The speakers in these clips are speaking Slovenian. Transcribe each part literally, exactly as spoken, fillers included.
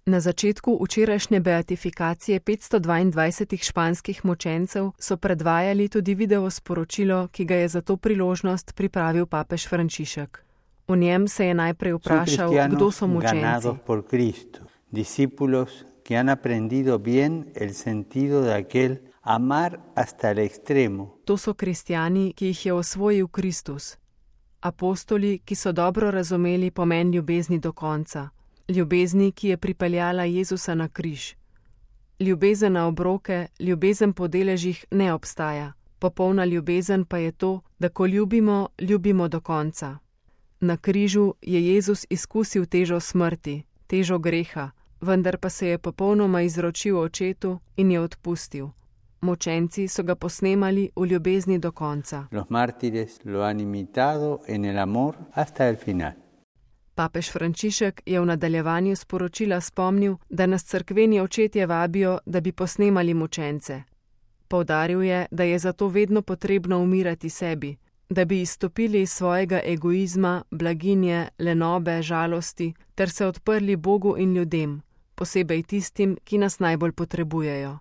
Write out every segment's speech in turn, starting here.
Na začetku včerajšnje beatifikacije petsto dvaindvajsetih španskih mučencev so predvajali tudi video sporočilo, ki ga je za to priložnost pripravil papež Frančišek. V njem se je najprej vprašal, kdo so mučenci. Discípulos que han aprendido bien el sentido de aquel amar hasta el extremo. To so kristjani, ki jih je osvojil Kristus. Apostoli, ki so dobro razumeli pomen ljubezni do konca. Ljubezni, ki je pripeljala Jezusa na križ. Ljubezen na obroke, ljubezen po deležih ne obstaja. Popolna ljubezen pa je to, da ko ljubimo, ljubimo do konca. Na križu je Jezus izkusil težo smrti, težo greha, vendar pa se je popolnoma izročil Očetu in je odpustil. Mučenci so ga posnemali v ljubezni do konca. Los mártires lo han imitado en el amor hasta el final. Papež Frančišek je v nadaljevanju sporočila spomnil, da nas cerkveni očetje vabijo, da bi posnemali mučence. Poudaril je, da je zato vedno potrebno umirati sebi, da bi izstopili iz svojega egoizma, blaginje, lenobe, žalosti, ter se odprli Bogu in ljudem, posebej tistim, ki nas najbolj potrebujejo.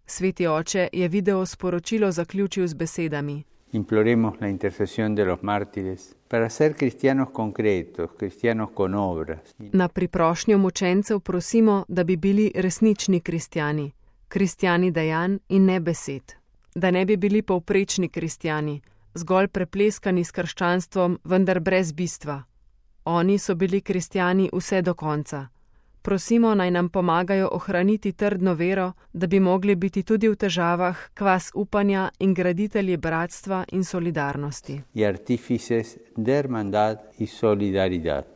Sveti oče je video sporočilo zaključil z besedami. Imploremos la intercesión de los mártires para ser cristianos concretos, cristianos con obras. Na priprošnjo mučencev prosimo, da bi bili resnični kristjani, kristjani dejanj in ne besed. Da ne bi bili povprečni kristjani, zgolj prepleskani s krščanstvom, vendar brez bistva. Oni so bili kristjani vse do konca. Prosimo, naj nam pomagajo ohraniti trdno vero, da bi mogli biti tudi v težavah kvas upanja in graditelji bratstva in solidarnosti. Y artífices de hermandad y solidaridad.